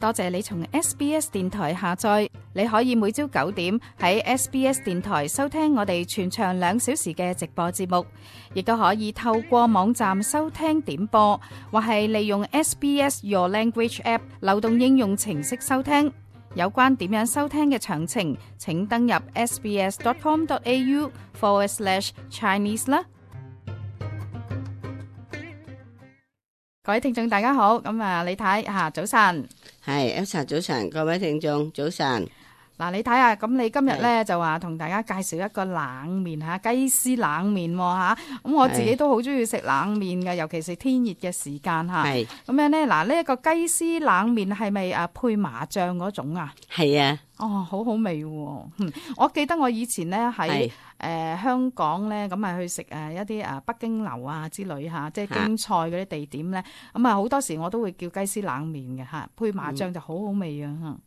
多謝你從 SBS 電台下載，你可以每朝9點喺 SBS 電台收聽我哋全長2小時嘅直播節目，亦都可以透過網站收聽點播，或係利用 SBS Your Language App 流動應用程式收聽。有關點樣收聽嘅詳情，請登入 sbs.com.au/Chinese 啦。各位聽眾大家好，咁李太早晨。係 Elsa 早晨，各位聽眾早晨。嗱，你睇下，咁你今日咧就話同大家介紹一個冷麵嚇，雞絲冷麵嚇。咁我自己都好中意食冷麵嘅，尤其是天熱嘅時間嚇。係咁樣咧，嗱，呢一個雞絲冷麵係咪配麻醬嗰種啊？係啊。哦，好好味喎！我記得我以前咧喺香港咧，咁啊去食一啲北京樓啊之類嚇，即係京菜嗰啲地點咧，咁啊好多時我都會叫雞絲冷麵嘅嚇，配麻醬就好好味啊！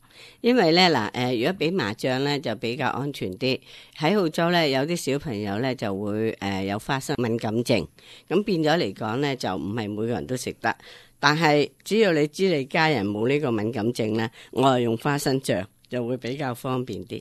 因為咧嗱如果俾麻醬咧就比較安全啲。喺澳洲咧有啲小朋友咧就會有花生敏感症，咁變咗嚟講咧就唔係每個人都食得，但係只要你知你家人冇呢個敏感症咧，我係用花生醬就會比較方便啲。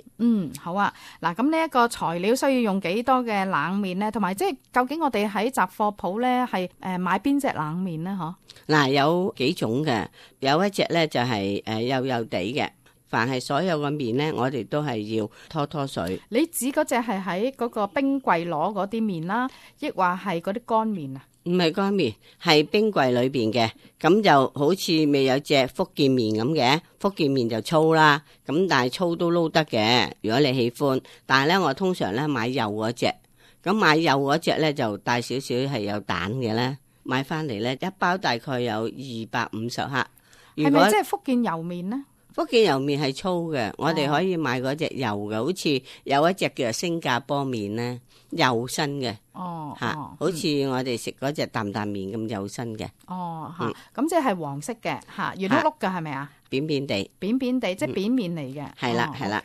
好啊。嗱，咁呢一個材料需要用幾多嘅冷麵咧？同埋即係究竟我哋喺雜貨鋪咧係買邊隻冷麵咧？嗬？嗱，有幾種嘅，有一隻咧就係幼幼地嘅。凡係所有嘅麵咧，我哋都係要拖拖水。你指嗰隻係喺嗰個冰櫃攞嗰啲麵啦，抑或係嗰啲乾麵啊？唔係乾麵，係冰櫃裏邊嘅。咁就好似未有隻福建麵咁嘅，福建麵就粗啦，咁但係粗都撈得嘅，如果你喜歡。但係咧，我通常咧買幼嗰隻，咁買幼嗰隻咧就帶少少係有蛋嘅咧，買翻嚟咧一包大概有250克。係咪即係福建油麵呢？福建油麵係粗嘅，我哋可以買嗰隻幼嘅，好似有一隻叫做新加坡麵咧，幼身嘅，好似我哋食嗰隻擔擔麵咁幼身嘅。咁即係黃色嘅，圓碌碌嘅係咪啊？扁扁地，扁扁地，即係扁麵嚟嘅。係啦，係啦。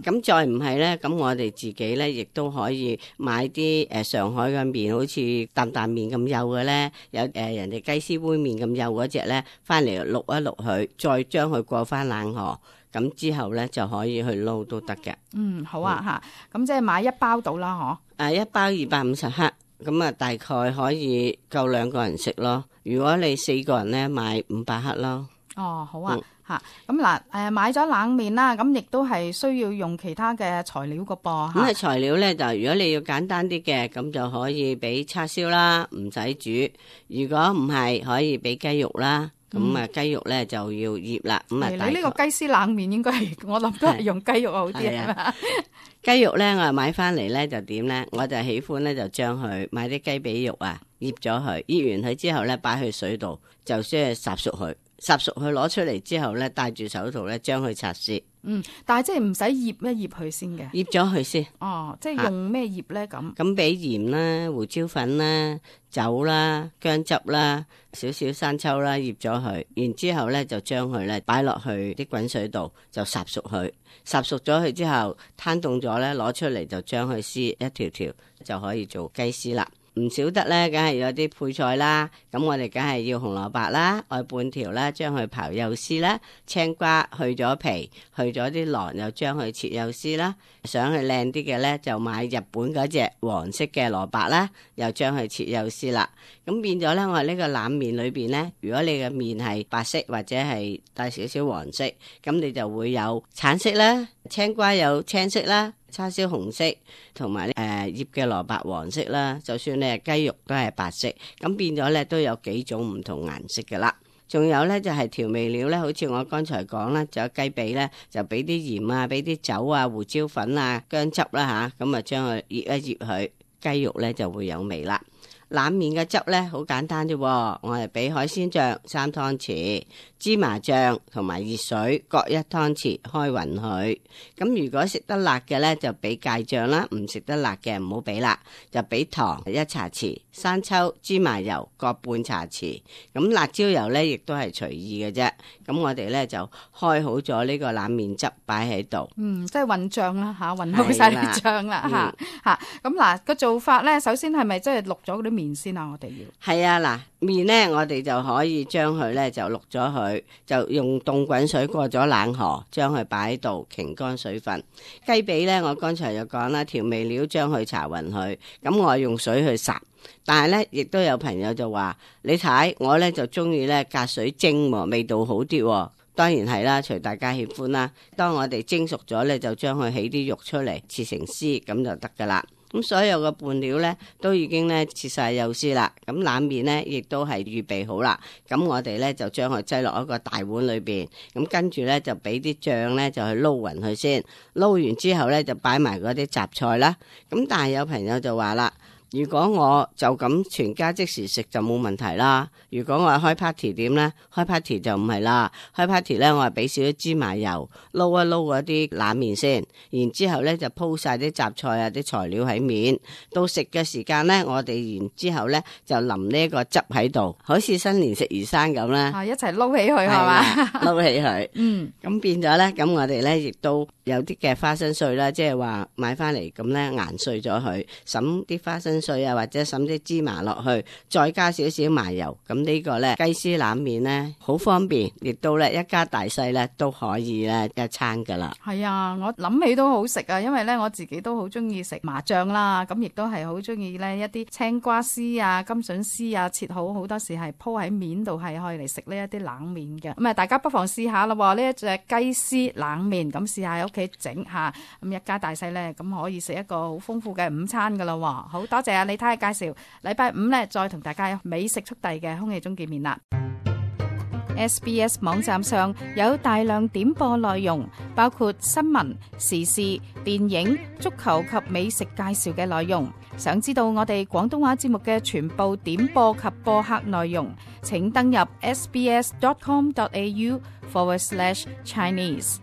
咁再唔係咧，咁我哋自己咧亦都可以買啲上海嘅麵，好似擔擔麵咁幼嘅咧，有人哋雞絲杯麵咁幼嗰隻咧，翻嚟渌一渌佢，再將佢過翻冷河，咁之後咧就可以去撈都得嘅。好啊咁即係買一包到啦，嗬？一包250克，咁啊大概可以夠2個人食咯。如果你4個人咧，買500克咯。好啊。咁嗱，買咗冷麵啦，咁亦都係需要用其他嘅材料個噃。咁材料咧就如果你要簡單啲嘅，咁就可以俾叉燒啦，唔使煮。如果唔係，可以俾雞肉啦。咁雞肉咧就要醃啦。咁你呢個雞絲冷麵應該係我諗都係用雞肉好啲啊。雞肉咧我買翻嚟咧就點咧？我就喜歡咧就將佢買啲雞髀肉啊，醃咗佢，醃完佢之後咧擺去水度，就先烚熟佢。烚熟佢攞出嚟之後咧，戴住手套咧，將佢擦屑。但係即係唔使醃一醃佢先嘅。醃咗佢先。即係用咩醃咧？咁俾鹽啦、胡椒粉啦、酒啦、薑汁啦、少少生抽啦，醃咗佢。然之後咧就將佢咧擺落去啲滾水度，就烚熟佢。烚熟咗佢之後，攤凍咗咧，攞出嚟就將佢撕一條條，就可以做雞絲啦。唔少得咧，梗係有啲配菜啦。咁我哋梗係要紅蘿蔔啦，愛半條啦，將佢刨幼絲啦。青瓜去咗皮，去咗啲囊，又將佢切幼絲啦。想去靚啲嘅咧，就買日本嗰隻黃色嘅蘿蔔啦，又將佢切幼絲啦。咁變咗咧，我呢個冷麵裏邊咧，如果你嘅麵係白色或者係帶少少黃色，咁你就會有橙色啦，青瓜有青色啦。叉燒紅色，同埋醃嘅蘿蔔黃色啦，就算你係雞肉都係白色，咁變咗咧都有幾種唔同顏色嘅啦。仲有咧就係調味料咧，好似我剛才講啦，就有雞髀咧，就俾啲鹽啊，俾啲酒啊、胡椒粉啊、薑汁啦吓，咁啊將佢醃一醃佢，雞肉咧就會有味啦。冷麵嘅汁咧好簡單啫，我係俾海鮮醬3湯匙，芝麻醬同埋熱水各1湯匙，開勻佢。咁如果食得辣嘅咧就俾芥醬啦，唔食得辣嘅唔好俾辣，就俾糖1茶匙，生抽、芝麻油各半茶匙。咁辣椒油咧亦都係隨意嘅啫。咁我哋咧就開好咗呢個冷麵汁擺喺度。即係混醬啦吓，混好晒啲醬啦吓。咁嗱個做法咧，首先係咪即係渌咗嗰啲麵先啊？我哋要係啊，嗱，麵咧我哋就可以將佢咧就渌咗佢，就用凍滾水過咗冷河，將佢擺喺度擎乾水分。雞髀咧，我剛才就講啦，調味料將佢搽勻佢，咁我用水去烚。但係咧，亦都有朋友就話：你睇我咧就中意咧隔水蒸喎，味道好啲喎。當然係啦，隨大家喜歡啦。當我哋蒸熟咗咧，就將佢起啲肉出嚟，切成絲咁就得噶啦。咁所有嘅拌料咧都已經咧切晒幼絲啦。咁冷麵咧亦都係預備好啦。咁我哋咧就將佢擠落一個大碗裏邊。咁跟住咧就俾啲醬咧就去撈勻佢先。撈完之後咧就擺埋嗰啲雜菜啦。咁但係有朋友就話啦，如果我就咁全家即時食就冇問題啦。如果我係開 party 點呢？開 party 就唔係啦。開 party 呢，我係俾少少芝麻油撈一撈嗰啲冷麵先，然之後呢就鋪晒啲雜菜啊啲材料喺面。到食嘅時間呢，我哋然之後呢就淋呢個汁喺度，好似新年食魚生咁啦。一齊撈起佢係嘛？撈起佢。咁變咗呢，咁我哋呢亦都有啲嘅花生碎啦，即係話買翻嚟咁呢研碎咗佢，揼啲花生碎啊，或者揼啲芝麻落去，再加少少麻油，咁呢個呢雞絲冷麵呢好方便，亦都呢一家大細呢都可以呢一餐噶啦。係啊，我諗起都好食啊，因為呢我自己都好中意食麻醬啦，咁亦都係好中意呢一啲青瓜絲啊、甘筍絲啊，切好好多時係鋪喺面度係可以嚟食呢一啲冷麵嘅。咁啊，大家不妨試下咯，呢一隻雞絲冷麵，咁試下喺屋企整下，咁一家大細呢咁可以食一個好豐富嘅午餐噶啦。好多謝啊李太嘅介紹，禮拜五呢再同大家美食速遞嘅空氣中見面啦。SBS 網站上有大量點播內容，包括新聞、時事、電影、足球及美食介紹嘅內容。想知道我哋廣東話節目嘅全部點播及播客內容，請登入sbs.com.au/Chinese。